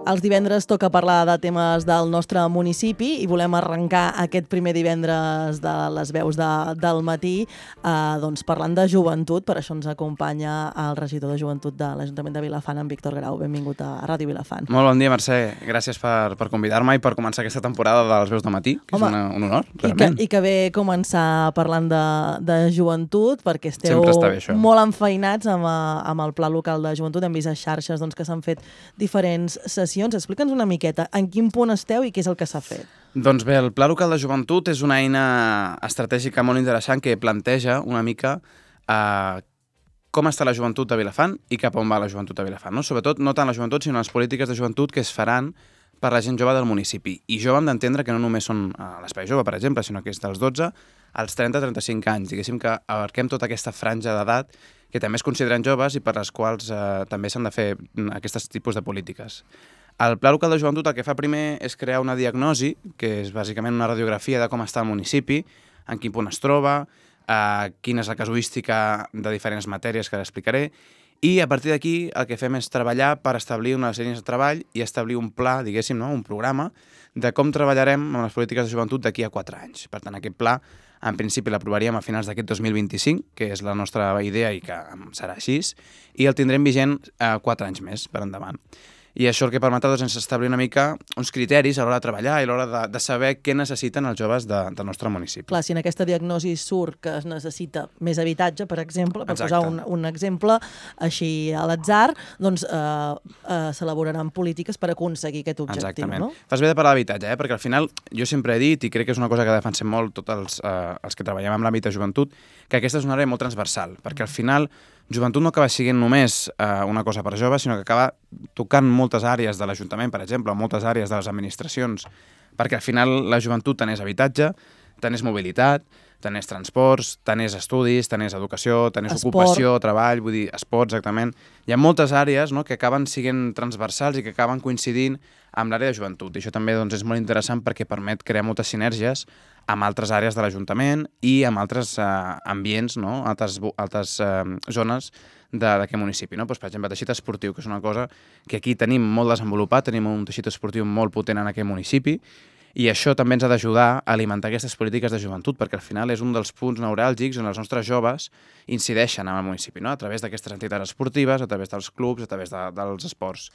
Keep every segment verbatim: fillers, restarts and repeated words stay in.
Els divendres toca parlar de temes del nostre municipi i volem arrencar aquest primer divendres de les veus de, del matí eh, doncs parlant de joventut. Per això ens acompanya el regidor de joventut de l'Ajuntament de Vilafant, en Víctor Grau. Benvingut a Ràdio Vilafant. Molt bon dia, Mercè. Gràcies per, per convidar-me i per començar aquesta temporada de les veus de matí, que Home, és una, un honor, realment. I que, i que bé començar parlant de, de joventut, perquè esteu bé, molt enfeinats amb, amb el Pla Local de Joventut. Hem vist a xarxes doncs, que s'han fet diferents sessions. Explica'ns una miqueta en quin punt esteu i què és el que s'ha fet. Doncs bé, el Pla Local de Joventut és una eina estratègica molt interessant que planteja una mica eh, com està la joventut de Vilafant i cap on va la joventut de Vilafant. No? Sobretot, no tant la joventut, sinó les polítiques de joventut que es faran per la gent jove del municipi. I jove hem d'entendre que no només són a l'Espai Jove, per exemple, sinó que és dels dotze als trenta a trenta-cinc anys. Diguéssim que abarquem tota aquesta franja d'edat que també es consideren joves i per les quals eh, també s'han de fer aquests tipus de polítiques. El Pla Local de Joventut el que fa primer és crear una diagnosi, que és bàsicament una radiografia de com està el municipi, en quin punt es troba, eh, quina és la casuística de diferents matèries que l'explicaré, i a partir d'aquí el que fem és treballar per establir unes línies de treball i establir un pla, diguéssim, no? un programa de com treballarem amb les polítiques de joventut d'aquí a quatre anys. Per tant, aquest pla, en principi, l'aprovaríem a finals d'aquest dos mil vint-i-cinc, que és la nostra idea i que serà així, i el tindrem vigent eh, quatre anys més per endavant. I això el que permetrà doncs, és establir una mica uns criteris a l'hora de treballar i a l'hora de, de saber què necessiten els joves de, del nostre municipi. Clar, si en aquesta diagnosi surt que es necessita més habitatge, per exemple, per Exacte. posar un, un exemple així a l'atzar, doncs eh, eh, s'elaboraran polítiques per aconseguir aquest objectiu. Exactament. No? Fas bé de parlar d'habitatge, eh? Perquè al final jo sempre he dit, i crec que és una cosa que defensem molt tots els, eh, els que treballem en l'àmbit de joventut, que aquesta és una àrea molt transversal, perquè al final joventut no acaba sent només eh, una cosa per joves, sinó que acaba tocant moltes àrees de l'Ajuntament, per exemple, moltes àrees de les administracions, perquè al final la joventut tant és habitatge, tant és mobilitat, tant és transports, tant és estudis, tant és educació, tant és Esport. ocupació, treball, vull dir, esport, exactament. Hi ha moltes àrees, no?, que acaben sent transversals i que acaben coincidint amb l'àrea de joventut. I això també doncs, és molt interessant perquè permet crear moltes sinergies amb altres àrees de l'Ajuntament i amb altres eh, ambients, no?, altres, altres eh, zones d'aquest municipi. No? Pues, per exemple, teixit esportiu, que és una cosa que aquí tenim molt desenvolupat, tenim un teixit esportiu molt potent en aquest municipi, i això també ens ha d'ajudar a alimentar aquestes polítiques de joventut, perquè al final és un dels punts neuràlgics on els nostres joves incideixen en el municipi, no? A través d'aquestes entitats esportives, a través dels clubs, a través de, dels esports.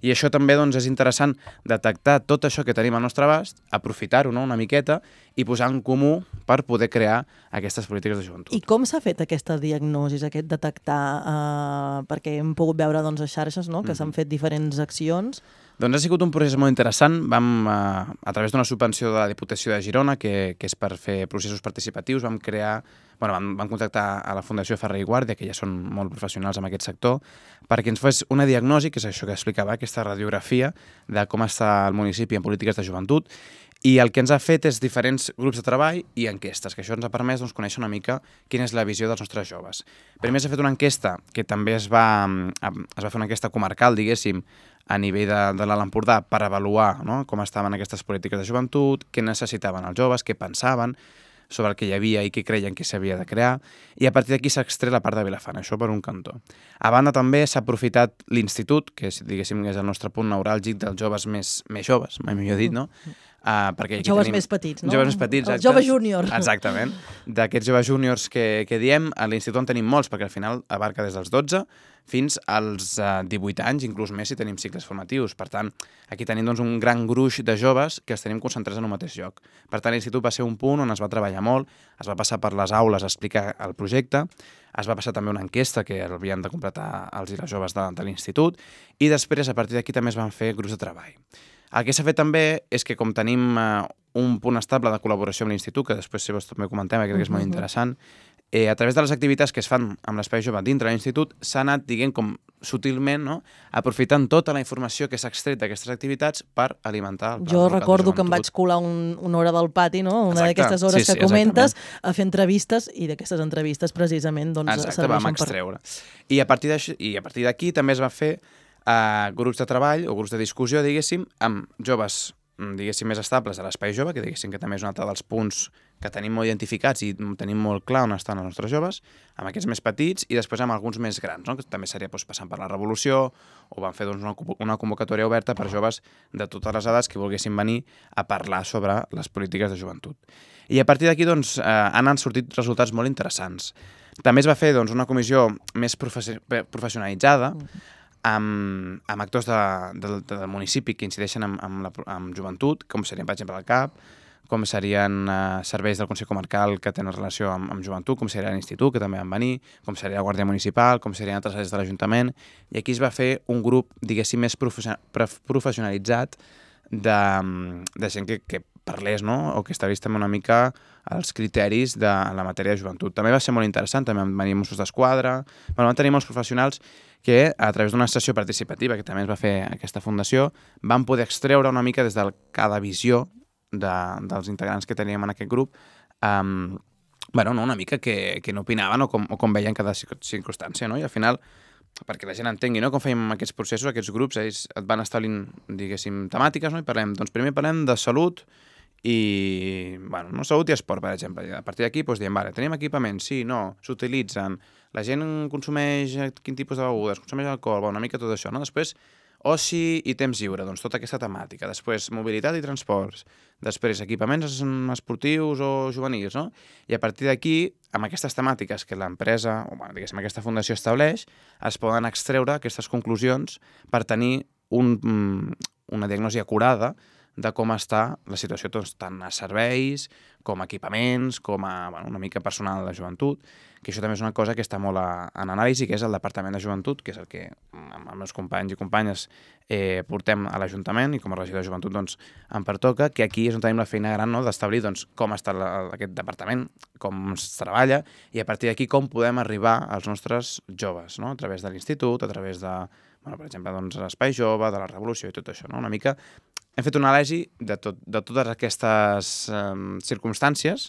I això també doncs, és interessant detectar tot això que tenim al nostre abast, aprofitar-ho, no?, una miqueta i posar en comú per poder crear aquestes polítiques de joventut. I com s'ha fet aquesta diagnosi, aquest detectar, eh, perquè hem pogut veure doncs, a xarxes, no?, que mm-hmm. s'han fet diferents accions? Doncs ha sigut un procés molt interessant. Vam, eh, a través d'una subvenció de la Diputació de Girona, que, que és per fer processos participatius, vam crear, bueno, vam, vam contactar a la Fundació Ferrer i Guàrdia, que ja són molt professionals en aquest sector, perquè ens fes una diagnosi, que és això que explicava, aquesta radiografia de com està el municipi en polítiques de joventut, i el que ens ha fet és diferents grups de treball i enquestes, que això ens ha permès doncs, conèixer una mica quina és la visió dels nostres joves. Primer s'ha fet una enquesta, que també es va, es va fer una enquesta comarcal, diguéssim, a nivell de, de l'Alt Empordà per avaluar, no?, com estaven aquestes polítiques de joventut, què necessitaven els joves, què pensaven sobre el que hi havia i què creien que s'havia de crear, i a partir d'aquí s'ha extret la part de Vilafant, això per un cantó. A banda també s'ha aprofitat l'institut, que és, diguéssim, és el nostre punt neuràlgic dels joves més, més joves, mai millor dit, no? Uh, perquè aquí joves tenim... més petits, no? Joves més petits, els joves júniors. Exactament. D'aquests joves júniors que, que diem, a l'institut en tenim molts, perquè al final abarca des dels dotze fins als uh, divuit anys, inclús més si tenim cicles formatius. Per tant, aquí tenim doncs, un gran gruix de joves que els tenim concentrats en un mateix lloc. Per tant, l'institut va ser un punt on es va treballar molt, es va passar per les aules a explicar el projecte, es va passar també una enquesta que havien de completar els i les joves de, de l'institut, i després, a partir d'aquí, també es van fer grups de treball. El que s'ha fet també és que, com tenim eh, un punt estable de col·laboració amb l'Institut, que després si vols també comentem, que crec que és molt interessant, eh, a través de les activitats que es fan amb l'Espai Jove dintre de l'Institut, s'ha anat, diguem, com sutilment, no?, aprofitant tota la informació que s'ha extret d'aquestes activitats per alimentar el pla Jo local recordo de que em vaig colar un, una hora del pati, no?, una d'aquestes hores sí, sí, que comentes, exactament. a fer entrevistes, i d'aquestes entrevistes precisament doncs, Exacte, serveixen vam extreure. Per... I a partir d'això- i a partir d'aquí també es va fer uh, grups de treball o grups de discussió, diguéssim, amb joves diguéssim, més estables de l'espai jove, que diguéssim que també és un altre dels punts que tenim molt identificats i tenim molt clar on estan els nostres joves, amb aquests més petits i després amb alguns més grans, no? Que també seria doncs, passant per la Revolució, o van fer doncs, una, una convocatòria oberta per joves de totes les edats que volguessin venir a parlar sobre les polítiques de joventut. I a partir d'aquí doncs, eh, han sortit resultats molt interessants. També es va fer doncs, una comissió més professi professionalitzada, amb, amb actors de, de, del municipi que incideixen amb, amb, la, amb joventut, com serien, per exemple, el C A P, com serien eh, serveis del Consell Comarcal que tenen relació amb, amb joventut, com seria l'Institut, que també van venir, com seria la Guàrdia Municipal, com serien altres àrees de l'Ajuntament, i aquí es va fer un grup, diguéssim, més professionalitzat de, de gent que, que parlés, no? O que establís també una mica els criteris de la matèria de joventut. També va ser molt interessant, també van venir Mossos d'Esquadra, bueno, van tenir molts professionals que a través d'una sessió participativa que també es va fer aquesta fundació, van poder extreure una mica des de cada visió de, dels integrants que teníem en aquest grup, um, bueno, no, una mica que, que no opinaven o com, o com veien cada circumstància, no? I al final, perquè la gent entengui, no? Com fèiem aquests processos, aquests grups, ells et van establint, diguéssim, temàtiques, no? I parlem, doncs primer parlem de salut i, bueno, no, salut i esport, per exemple. I a partir d'aquí doncs, diem, vale, tenim equipaments, sí, no, s'utilitzen, la gent consumeix quin tipus de begudes, consumeix alcohol, bueno, una mica tot això, no? Després, oci i temps lliure, doncs tota aquesta temàtica. Després, mobilitat i transports. Després, equipaments esportius o juvenils, no? I a partir d'aquí, amb aquestes temàtiques que l'empresa, o bueno, diguéssim, aquesta fundació estableix, es poden extreure aquestes conclusions per tenir un, una diagnosi acurada de com està la situació doncs, tant a serveis, com a equipaments, com a bueno, una mica personal de la joventut, que això també és una cosa que està molt a, en anàlisi, que és el Departament de Joventut, que és el que amb els meus companys i companyes eh, portem a l'Ajuntament, i com a regidor de joventut doncs, em pertoca, que aquí és on tenim la feina gran, no?, d'establir doncs, com està la, aquest departament, com es treballa, i a partir d'aquí com podem arribar als nostres joves, no?, a través de l'Institut, a través de, bueno, per exemple, doncs, l'Espai Jove, de la Revolució i tot això, no? Una mica hem fet una anàlisi de, tot, de totes aquestes eh, circumstàncies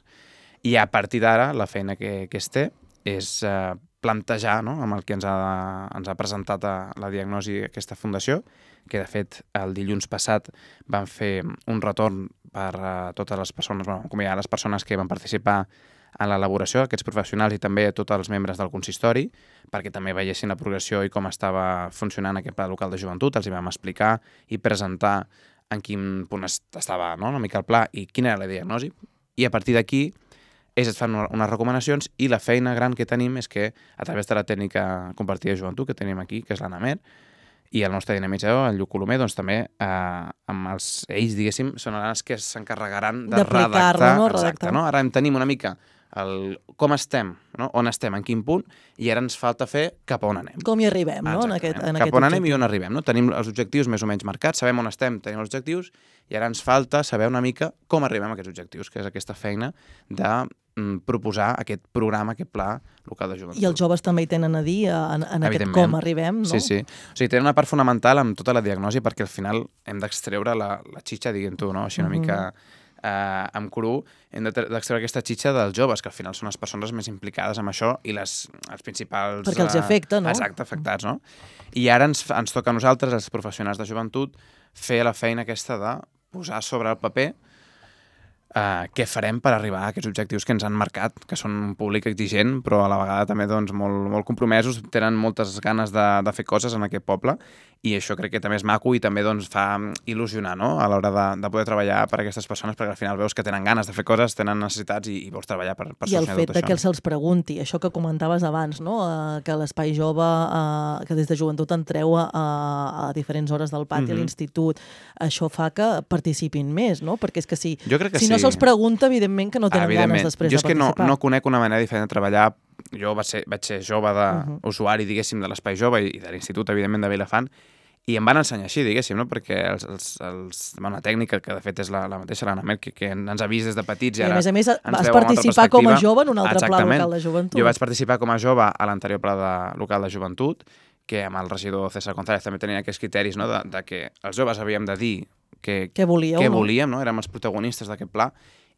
i a partir d'ara la feina que, que es té és eh, plantejar, no?, amb el que ens ha, ens ha presentat a la diagnosi aquesta fundació, que de fet el dilluns passat van fer un retorn per a totes les persones, bueno, com hi ha les persones que van participar en l'elaboració, aquests professionals i també tots els membres del consistori, perquè també veiessin la progressió i com estava funcionant aquest pla local de joventut, els hi vam explicar i presentar en quin punt estava, no?, una mica el pla i quina era la diagnosi, i a partir d'aquí ells et fan unes recomanacions i la feina gran que tenim és que a través de la tècnica compartida de joventut que tenim aquí, que és l'ANAMER, i el nostre dinamitzador, el Lluc Colomer, doncs també eh, amb els, ells, diguéssim, són els que s'encarregaran de redactar. No? Exacte, no? Ara en tenim una mica el, com estem, no? On estem, en quin punt, i ara ens falta fer cap a on anem. Com hi arribem, no? En aquest, en cap aquest on anem objectiu. I on arribem, no? Tenim els objectius més o menys marcats, sabem on estem, tenim els objectius, i ara ens falta saber una mica com arribem a aquests objectius, que és aquesta feina de mm, proposar aquest programa, aquest pla local de joventut. I els joves també hi tenen a dir en, en aquest com arribem, no? Sí, sí. O sigui, tenen una part fonamental amb tota la diagnosi perquè al final hem d'extreure la, la xitxa, diguem tu, no? Així una mm-hmm. mica... Uh, amb cru, hem d'extreure aquesta xitxa dels joves, que al final són les persones més implicades en això i les, els principals... Perquè els afecta, no? Exacte, afectats, no? I ara ens, ens toca a nosaltres, els professionals de joventut, fer la feina aquesta de posar sobre el paper uh, què farem per arribar a aquests objectius que ens han marcat, que són un públic exigent, però a la vegada també doncs, molt, molt compromesos, tenen moltes ganes de, de fer coses en aquest poble, i això crec que també és maco i també doncs, fa il·lusionar, no?, a l'hora de, de poder treballar per a aquestes persones, perquè al final veus que tenen ganes de fer coses, tenen necessitats i, i vols treballar per, per solucionar tot això. I el fet de que se'ls pregunti, això que comentaves abans, no?, uh, que l'Espai Jove, uh, que des de joventut entreu a, a diferents hores del pati mm-hmm. a l'institut, això fa que participin més, no? Perquè és que si, jo crec que si sí. no se'ls pregunta, evidentment que no tenen ganes després jo de participar. Jo és que no, no conec una manera diferent de treballar. Jo vaig ser, vaig ser jove d'usuari, uh-huh. diguéssim, de l'Espai Jove i de l'Institut, evidentment, de Vilafant, i em van ensenyar així, diguéssim, no? Perquè els, els, els, bueno, la tècnica, que de fet és la, la mateixa, l'Anna que, que ens ha vist des de petits i ara... I a més a més vas participar com a jove en un altre pla local de joventut. Jo vaig participar com a jove a l'anterior pla de, local de joventut, que amb el regidor César González també tenia aquests criteris, no? de, de que els joves havíem de dir que, què volíeu, què no? volíem, no? Érem els protagonistes d'aquest pla,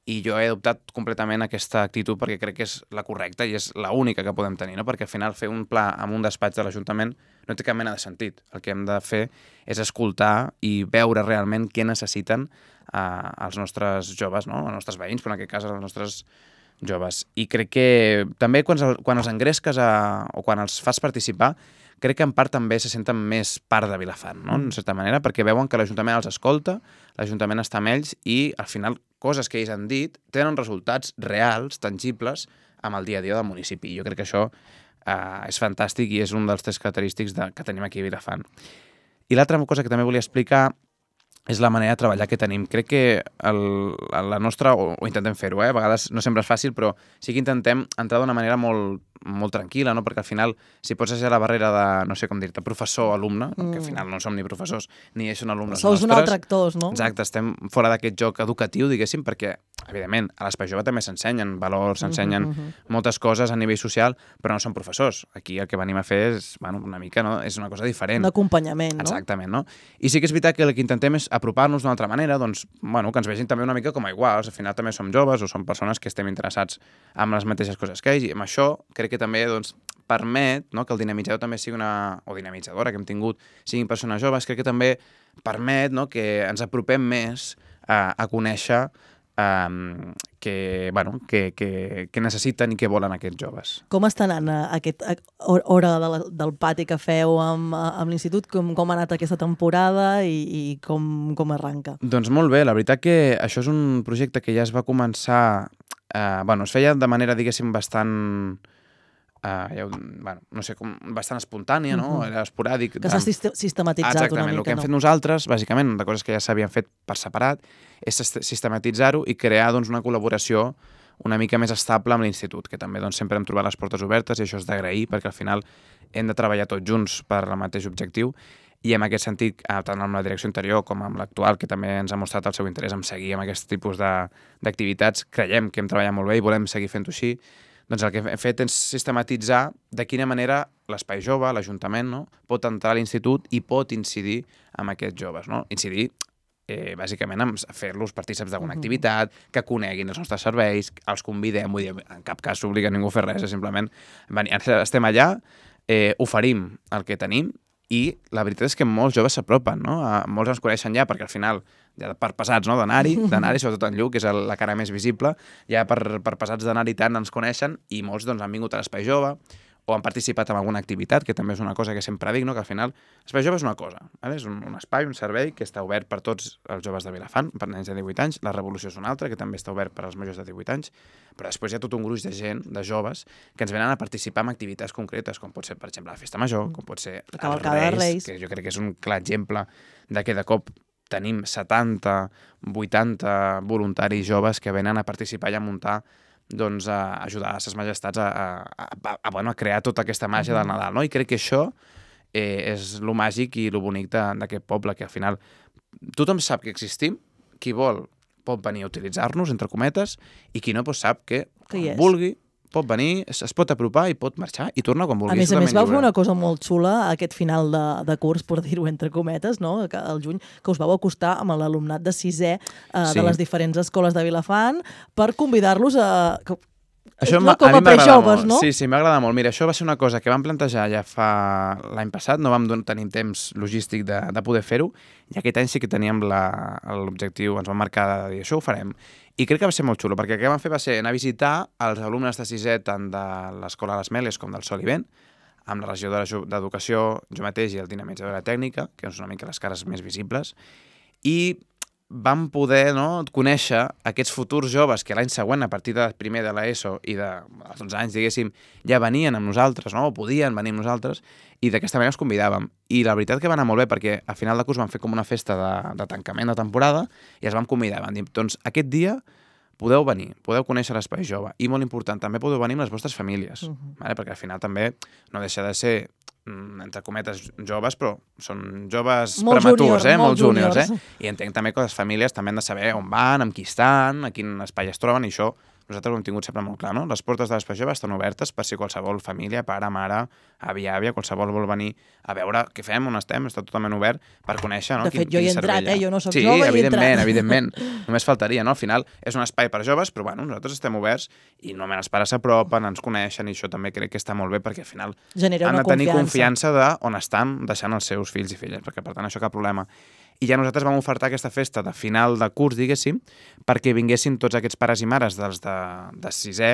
i jo he adoptat completament aquesta actitud perquè crec que és la correcta i és l'única que podem tenir, no? Perquè al final fer un pla en un despatx de l'Ajuntament no té cap mena de sentit. El que hem de fer és escoltar i veure realment què necessiten eh, els nostres joves, no? Els nostres veïns, però en aquest cas els nostres joves. I crec que també quan, quan els engresques a, o quan els fas participar, crec que en part també se senten més part de Vilafant, no? En certa manera, perquè veuen que l'Ajuntament els escolta, l'Ajuntament està amb ells i al final coses que ells han dit tenen resultats reals, tangibles, amb el dia a dia del municipi. Jo crec que això eh, és fantàstic i és un dels tres característics de, que tenim aquí a Vilafant. I l'altra cosa que també volia explicar és la manera de treballar que tenim. Crec que el, la nostra, o, o intentem fer-ho, eh? A vegades no sempre és fàcil, però sí que intentem entrar d'una manera molt, molt tranquil·la, no? Perquè al final, si pots ser la barrera de, no sé com dir-te, professor-alumne, mm. que al final no som ni professors, ni ells són alumnes Sous nostres. Sous un altre actors, no? Exacte, estem fora d'aquest joc educatiu, diguéssim, perquè, evidentment, a l'Espai Jove també s'ensenyen valors, s'ensenyen mm -hmm. moltes coses a nivell social, però no són professors. Aquí el que venim a fer és, bueno, una mica, no? És una cosa diferent. Un acompanyament, no? Exactament, no? I sí que és veritat que el que intentem és apropar-nos d'una altra manera, doncs, bueno, que ens vegin també una mica com a iguals. Al final també som joves o som persones que estem interessats en les mateixes coses que ells, i amb això crec que també, doncs, permet, no?, que el dinamitzador també sigui una... o dinamitzadora que hem tingut siguin persones joves, crec que també permet, no?, que ens apropem més a, a conèixer um, que, bueno, que, que, que necessiten i que volen aquests joves. Com està anant aquesta hora de la, del pati que feu amb, amb l'institut? Com, com ha anat aquesta temporada i, i com, com arranca? Doncs molt bé, la veritat que això és un projecte que ja es va començar... Eh, bueno, es feia de manera, diguéssim, bastant... Uh, ja, bueno, no sé, com bastant espontània, no? Uh-huh. Era esporàdic. Que s'ha sistematitzat Exactament, una mica, el que hem no? fet nosaltres, bàsicament, de coses que ja s'havien fet per separat, és sistematitzar-ho i crear, doncs, una col·laboració una mica més estable amb l'institut, que també, doncs, sempre hem trobat les portes obertes i això és d'agrair, perquè al final hem de treballar tots junts per al mateix objectiu i en aquest sentit, tant amb la direcció anterior com amb l'actual, que també ens ha mostrat el seu interès en seguir amb aquest tipus d'activitats, creiem que hem treballat molt bé i volem seguir fent-ho així. Doncs el que hem fet és sistematitzar de quina manera l'Espai Jove, l'Ajuntament, no?, pot entrar a l'institut i pot incidir en aquests joves, no? Incidir, eh, bàsicament, en fer-los partícips d'alguna uh-huh. activitat, que coneguin els nostres serveis, els convidem, vull dir, en cap cas s'obliga ningú a fer res, és simplement estem allà, eh, oferim el que tenim i la veritat és que molts joves s'apropen, no? Molts ens coneixen ja perquè al final, ja per pesats, no?, d'anar-hi, d'anar-hi, sobretot en Lluc, que és la cara més visible, ja per, per pesats d'anar-hi tant ens coneixen i molts, doncs, han vingut a l'Espai Jove o han participat en alguna activitat, que també és una cosa que sempre dic, no?, que al final l'Espai Jove és una cosa, ¿vale? És un, un espai, un servei que està obert per tots els joves de Vilafant, per nens de divuit anys, la Revolució és una altra, que també està obert per als majors de divuit anys, però després hi ha tot un gruix de gent, de joves, que ens venen a participar en activitats concretes, com pot ser, per exemple, la Festa Major, com pot ser els Reis, Reis, que jo crec que és un clar exemple de que de cop tenim setanta, vuitanta voluntaris joves que venen a participar i a muntar, doncs, a ajudar a ses majestats a, a, a, a, bueno, a crear tota aquesta màgia del Nadal, no? I crec que això eh, és lo màgic i lo bonic d'aquest poble, que al final tothom sap que existim, qui vol pot venir a utilitzar-nos, entre cometes, i qui no doncs sap que, que vulgui, pot venir, es, es pot apropar i pot marxar i tornar quan vulgui. A més a més, vau fer una cosa molt xula aquest final de, de curs, per dir-ho entre cometes, no?, que al juny, que us vau acostar amb l'alumnat de sisè eh, sí. de les diferents escoles de Vilafant per convidar-los a... Que... Això no, com a, a prejoves, no? Sí, sí, m'agrada molt. Mira, això va ser una cosa que vam plantejar ja fa l'any passat, no vam tenir temps logístic de, de poder fer-ho, i aquest any sí que teníem l'objectiu, ens vam marcar de dir, això ho farem. I crec que va ser molt xulo, perquè el que vam fer va ser anar a visitar els alumnes de sisè tant de l'Escola Les Meles com del Sol i Vent, amb la regidora d'Educació, jo mateix i el dinamitzador de tècnica, que són una mica les cares més visibles, i vam poder, no, conèixer aquests futurs joves que l'any següent, a partir de primer de l'ESO i dels onze anys, diguéssim, ja venien amb nosaltres, no?, o podien venir amb nosaltres, i d'aquesta manera els convidàvem. I la veritat que va anar molt bé, perquè a final de curs vam fer com una festa de, de tancament de temporada i els vam convidar. Vam dir, doncs aquest dia podeu venir, podeu conèixer l'Espai Jove, i molt important, també podeu venir amb les vostres famílies, uh-huh. vale? Perquè al final també no deixa de ser, entre cometes, joves, però són joves molt prematurs, junior, eh? molt júniors, juniors. Eh? I entenc també que les famílies també han de saber on van, amb qui estan, a quin espai es troben, i això nosaltres ho hem tingut sempre molt clar, no? Les portes de l'Espai Jove estan obertes per si qualsevol família, pare, mare, avi, àvia, qualsevol vol venir a veure què fem, on estem, està totalment obert per conèixer, no? De fet, jo hi he entrat, eh? Jo no soc sí, jove i he evidentment, entrat. evidentment. Només faltaria, no? Al final és un espai per joves, però bueno, nosaltres estem oberts i normalment els pares s'apropen, ens coneixen i això també crec que està molt bé perquè al final Genera han una de tenir confiança. confiança de on estan deixant els seus fills i filles, perquè per tant això cap problema. I ja nosaltres vam ofertar aquesta festa de final de curs, diguéssim, perquè vinguessin tots aquests pares i mares dels de, de sisè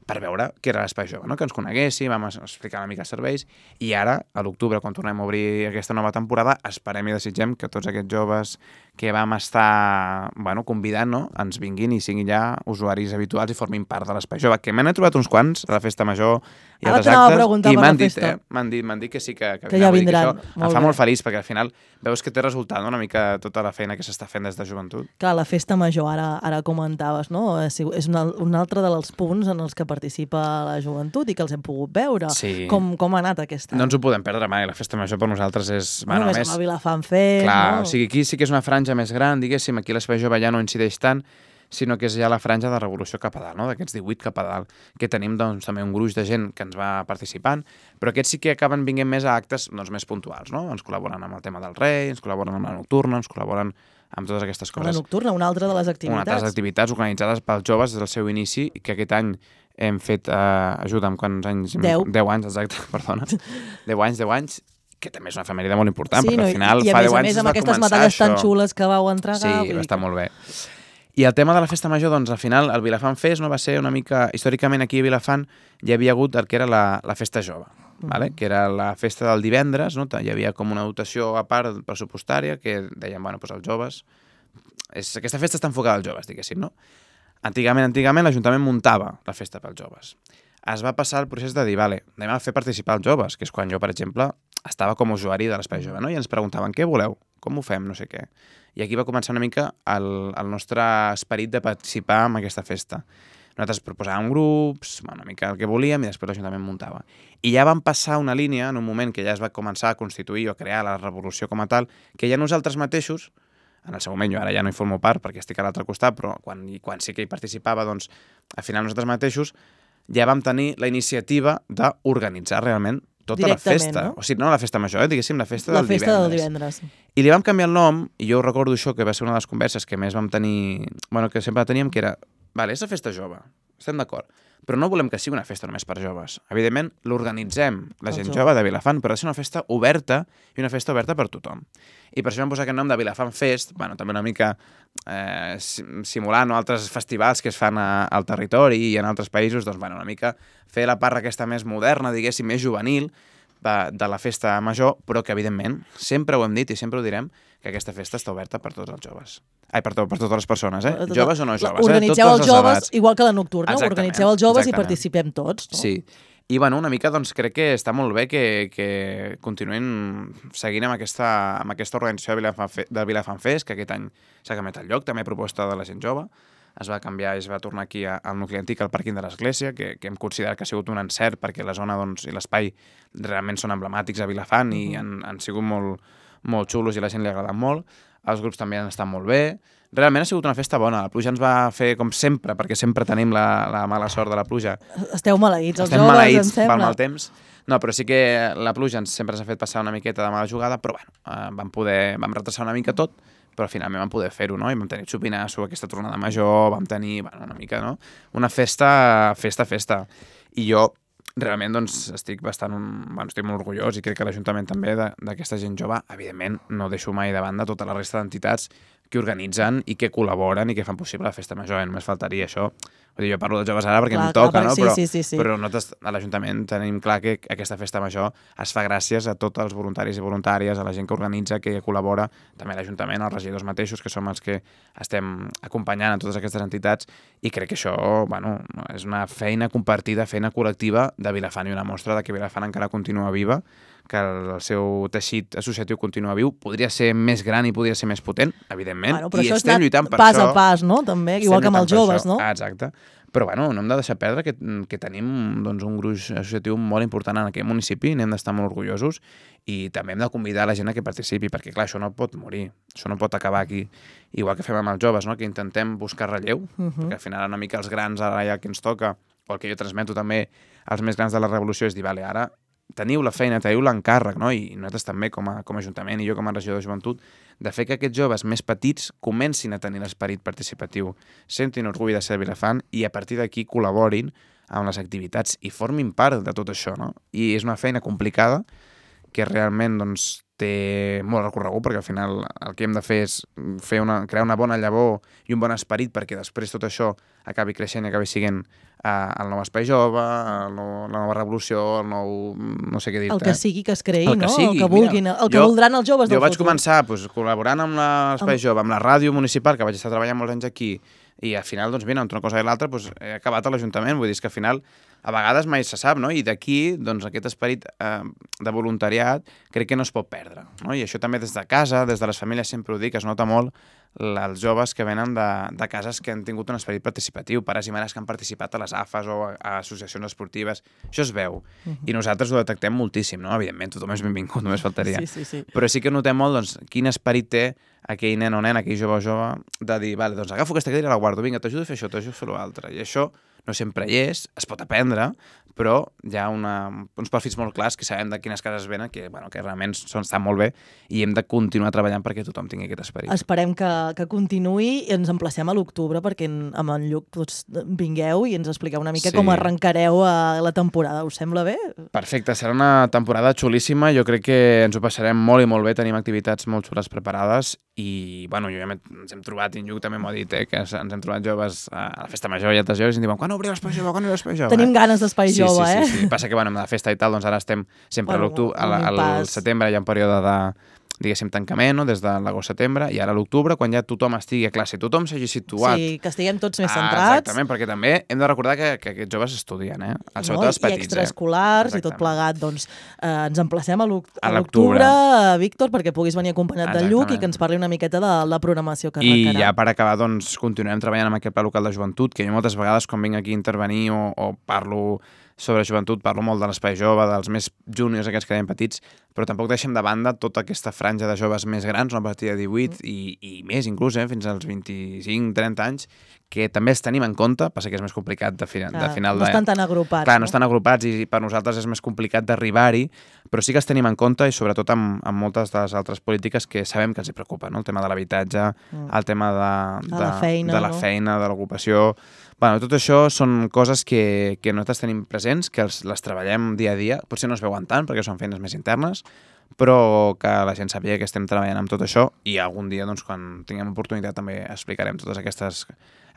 per veure què era l'Espai Jove, no? Que ens coneguéssim, vam explicar una mica els serveis, i ara, a l'octubre, quan tornem a obrir aquesta nova temporada, esperem i desitgem que tots aquests joves que vam estar bueno, convidant, no? Ens vinguin i siguin ja usuaris habituals i formin part de l'Espai Jove, que m'han trobat uns quants a la festa major i Ara altres t'anava a actes, preguntar i per m'han la dit, festa. eh? M'han dit, m'han dit que sí que, que, Que ja vull dir vindran. Això Molt em fa bé. molt feliç, perquè al final veus que té resultat, no? Una mica tota la feina que s'està fent des de joventut. Clar, la festa major, ara, ara comentaves, no? És un, un altre dels punts en els que participa la joventut i que els hem pogut veure. Sí. Com, com ha anat aquesta? No ens ho podem perdre mai, la festa major per nosaltres és... Bueno, Bueno, més més... amb la Vilafant Fest, Clar, no? o sigui, aquí sí que és una franja més gran, diguéssim, aquí l'Espai Jove ja no incideix tant, sinó que és ja la franja de revolució cap a dalt, no? D'aquests divuit cap a dalt, que tenim doncs, també un gruix de gent que ens va participant, però aquests sí que acaben vinguent més a actes doncs, més puntuals, no? Ens col·laboren amb el tema del rei, ens col·laboren amb la nocturna, ens col·laboren amb totes aquestes coses. La nocturna, una altra de les activitats. Una altra de les activitats organitzades pels joves des del seu inici, i que aquest any hem fet, eh, ajuda'm, quants anys? Deu. Deu anys, exacte, perdona. Deu anys, deu anys, que també és una efemèride molt important, Sí, perquè no, al final i a fa més deu a anys més es amb va aquestes començar medalles tan això. xules que vau entregar. Sí, vull dir va estar que- molt bé. I el tema de la festa major, doncs, al final, el Vilafant Fest no va ser una mica... Històricament, aquí a Vilafant hi havia hagut el que era la, la festa jove, Mm. vale? Que era la festa del divendres, no? Hi havia com una dotació a part pressupostària que deien, bueno, doncs els joves... És, aquesta festa està enfocada als joves, diguéssim, no? Antigament, antigament, l'Ajuntament muntava la festa pels joves. Es va passar el procés de dir, vale, anem a fer participar els joves, que és quan jo, per exemple, estava com a usuari de l'Espai Jove, no? I ens preguntaven, què voleu? Com ho fem? No sé què. I aquí va començar una mica el, el nostre esperit de participar en aquesta festa. Nosaltres proposàvem grups, bueno, una mica el que volíem, i després l'Ajuntament muntava. I ja vam passar una línia, en un moment que ja es va començar a constituir o a crear la revolució com a tal, que ja nosaltres mateixos, en el seu moment, jo ara ja no hi formo part perquè estic a l'altre costat, però quan, quan sí que hi participava, doncs, al final nosaltres mateixos ja vam tenir la iniciativa d'organitzar realment tota la festa. No? O sigui, no la festa major, eh? Diguéssim, la festa la del festa divendres. del divendres. I li vam canviar el nom, i jo recordo això, que va ser una de les converses que més vam tenir, bueno, que sempre teníem, que era, vale, és la festa jove, estem d'acord, però no volem que sigui una festa només per joves. Evidentment, l'organitzem la El gent jove. jove de Vilafant, però ha de ser una festa oberta i una festa oberta per tothom. I per això vam posar aquest nom de Vilafant Fest, bueno, també una mica eh, simulant no, altres festivals que es fan a, al territori i en altres països, doncs, bueno, una mica fer la part aquesta més moderna, diguéssim, més juvenil, de, de la festa major, però que, evidentment, sempre ho hem dit i sempre ho direm, que aquesta festa està oberta per tots els joves. Ai, per, to, per totes les persones, eh? Tot- Joves o no joves, Organitzeu eh? els joves, igual que la nocturna, Exactament, organitzeu els joves exactament. i participem tots. No? Sí. I, bueno, una mica, doncs, crec que està molt bé que, que continuïn seguint amb aquesta, amb aquesta organització de Vilafant, Fe, del Vilafant Fest, que aquest any s'ha canviat el lloc, també a proposta de la gent jove. Es va canviar i es va tornar aquí a, al nucli antic, al pàrquing de l'Església, que, que hem considerat que ha sigut un encert perquè la zona doncs, i l'espai realment són emblemàtics a Vilafant i Mhm. han, han sigut molt, molt xulos i a la gent li ha agradat molt. Els grups també han estat molt bé. Realment ha sigut una festa bona. La pluja ens va fer com sempre, perquè sempre tenim la, la mala sort de la pluja. Esteu maleïts, els Estem joves, maleïts em pel sembla. mal temps. No, però sí que la pluja ens, sempre s'ha fet passar una miqueta de mala jugada, però bueno, eh, vam, poder, vam retrasar una mica tot, però finalment vam poder fer-ho, no? I vam tenir xupinasso, aquesta tornada major, vam tenir, bueno, una mica, no? Una festa, festa, festa. I jo realment doncs, estic bastant bueno, estic molt orgullós i crec que l'Ajuntament també d'aquesta gent jove, evidentment no deixo mai de banda tota la resta d'entitats que organitzen i que col·laboren i que fan possible la festa major, eh? Només faltaria això. Vull dir, jo parlo dels joves ara perquè Clar, em toca, clar, no? sí, però, sí, sí, sí. però nosaltres a l'Ajuntament tenim clar que aquesta festa major es fa gràcies a tots els voluntaris i voluntàries, a la gent que organitza, que col·labora, també a l'Ajuntament, als regidors mateixos, que som els que estem acompanyant a totes aquestes entitats, i crec que això, bueno, és una feina compartida, feina col·lectiva de Vilafant, i una mostra de que Vilafant encara continua viva, que el seu teixit associatiu continua viu, podria ser més gran i podria ser més potent, evidentment, Bueno, però i això és estem anat lluitant per pas això. a pas, no? També, igual que amb els Estem lluitant per joves, això. no? Ah, exacte. però bueno, no hem de deixar perdre que, que tenim doncs, un gruix associatiu molt important en aquest municipi, n'hem d'estar molt orgullosos i també hem de convidar la gent a que participi, perquè clar, això no pot morir, això no pot acabar aquí. Igual que fem amb els joves, no? Que intentem buscar relleu, uh-huh. perquè al final una mica els grans ara ja que ens toca, o el que jo transmeto també als més grans de la revolució és dir, vale, ara teniu la feina, teniu l'encàrrec, no? I nosaltres també com a, com a Ajuntament i jo com a regidor de joventut, de fer que aquests joves més petits comencin a tenir l'esperit participatiu, sentin orgull de ser Vilafant i a partir d'aquí col·laborin amb les activitats i formin part de tot això, no? I és una feina complicada que realment doncs, té molt recorregut, perquè al final el que hem de fer és fer una, crear una bona llavor i un bon esperit perquè després tot això acabi creixent i acabi sent uh, el nou espai jove, el nou, la nova revolució, el nou... no sé què dir-te. El que sigui que es creï, el que no? Sigui. El que vulguin, Mira, el que jo, voldran els joves del futur. Jo vaig futur. començar pues, col·laborant amb l'espai jove, amb la ràdio municipal, que vaig estar treballant molts anys aquí, i al final, doncs, mira, entre una cosa i l'altra, doncs, he acabat a l'Ajuntament. Vull dir que al final, a vegades mai se sap, no? I d'aquí, doncs, aquest esperit eh, de voluntariat crec que no es pot perdre, no? I això també des de casa, des de les famílies, sempre ho dic, es nota molt els joves que venen de, de cases que han tingut un esperit participatiu, pares i mares que han participat a les A F A S o a, a associacions esportives. Això es veu. Uh-huh. I nosaltres ho detectem moltíssim, no? Evidentment, tothom és benvingut, només faltaria. Sí, sí, sí. Però sí que notem molt, doncs, quin esperit té aquell nen o nen, aquell jove o jove, de dir, vale, doncs agafo aquesta cadira i la guardo, vinga, t'ajudo a fer això, t'ajudo a fer l'altre. I això no sempre hi és, es pot aprendre, però hi ha una, uns perfils molt clars que sabem de quines cases venen, que, bueno, que realment són, estan molt bé i hem de continuar treballant perquè tothom tingui aquest esperit. Esperem que, que continuï i ens emplacem a l'octubre perquè en, amb en Lluc doncs, vingueu i ens expliqueu una mica sí. com arrencareu a la temporada. Us sembla bé? Perfecte, serà una temporada xulíssima. Jo crec que ens ho passarem molt i molt bé. Tenim activitats molt xules preparades i, bueno, jo ja ens hem trobat, i en Lluc també m'ho ha dit, eh, que ens hem trobat joves a la festa major i altres joves i ens diuen, quan obriu l'espai jove, quan obriu l'espai jove? Tenim ganes d'espai sí, jove, sí, eh? Sí, sí. Passa que, bueno, amb la festa i tal, doncs ara estem sempre bueno, a l'octubre, al, al setembre hi ha un període de, diguéssim, tancament, no? Des de l'agost-setembre, i ara a l'octubre, quan ja tothom estigui a classe, tothom s'hagi situat. Sí, que estiguem tots més ah, centrats. Exactament, perquè també hem de recordar que, que aquests joves estudien, eh? El, sobretot no? els petits, I extraescolars eh? i tot plegat. Doncs eh, ens emplacem a l'octubre, l'octubre, Víctor, perquè puguis venir acompanyat del Lluc i que ens parli una miqueta de la programació que arrencarà. I ja per acabar, doncs, continuem treballant amb aquest pla local de joventut, que jo moltes vegades, quan vinc aquí a intervenir o, o parlo sobre joventut, parlo molt de l'espai jove, dels més júniors, aquests que deien petits, però tampoc deixem de banda tota aquesta franja de joves més grans, no? A partir de divuit mm. i, i més inclús, eh? Fins als vint-i-cinc trenta anys, que també els tenim en compte, passa que és més complicat de, final, Clar, de final no de... estan tan agrupats. Clar, no, no estan agrupats i per nosaltres és més complicat d'arribar-hi, però sí que els tenim en compte i sobretot amb, amb moltes de les altres polítiques que sabem que els hi preocupa, no? El tema de l'habitatge, mm. el tema de, de, de la feina, de, la no? feina, de l'ocupació... Bueno, tot això són coses que, que nosaltres tenim presents, que els, les treballem dia a dia, potser no es veuen tant perquè són feines més internes, però que la gent sàpiga que estem treballant amb tot això i algun dia, doncs, quan tinguem oportunitat també explicarem totes aquestes,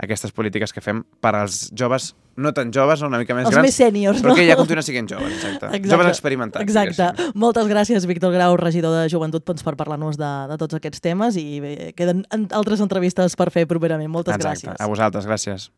aquestes polítiques que fem per als joves, no tan joves, una mica més els grans, més sèniors, però no? que ja continuen sent joves, exacte. exacte. Joves experimentats. Exacte. Diguéssim. Moltes gràcies, Víctor Grau, regidor de Joventut, doncs, per parlar-nos de, de tots aquests temes i bé, queden altres entrevistes per fer properament. Moltes exacte. gràcies. A vosaltres, gràcies.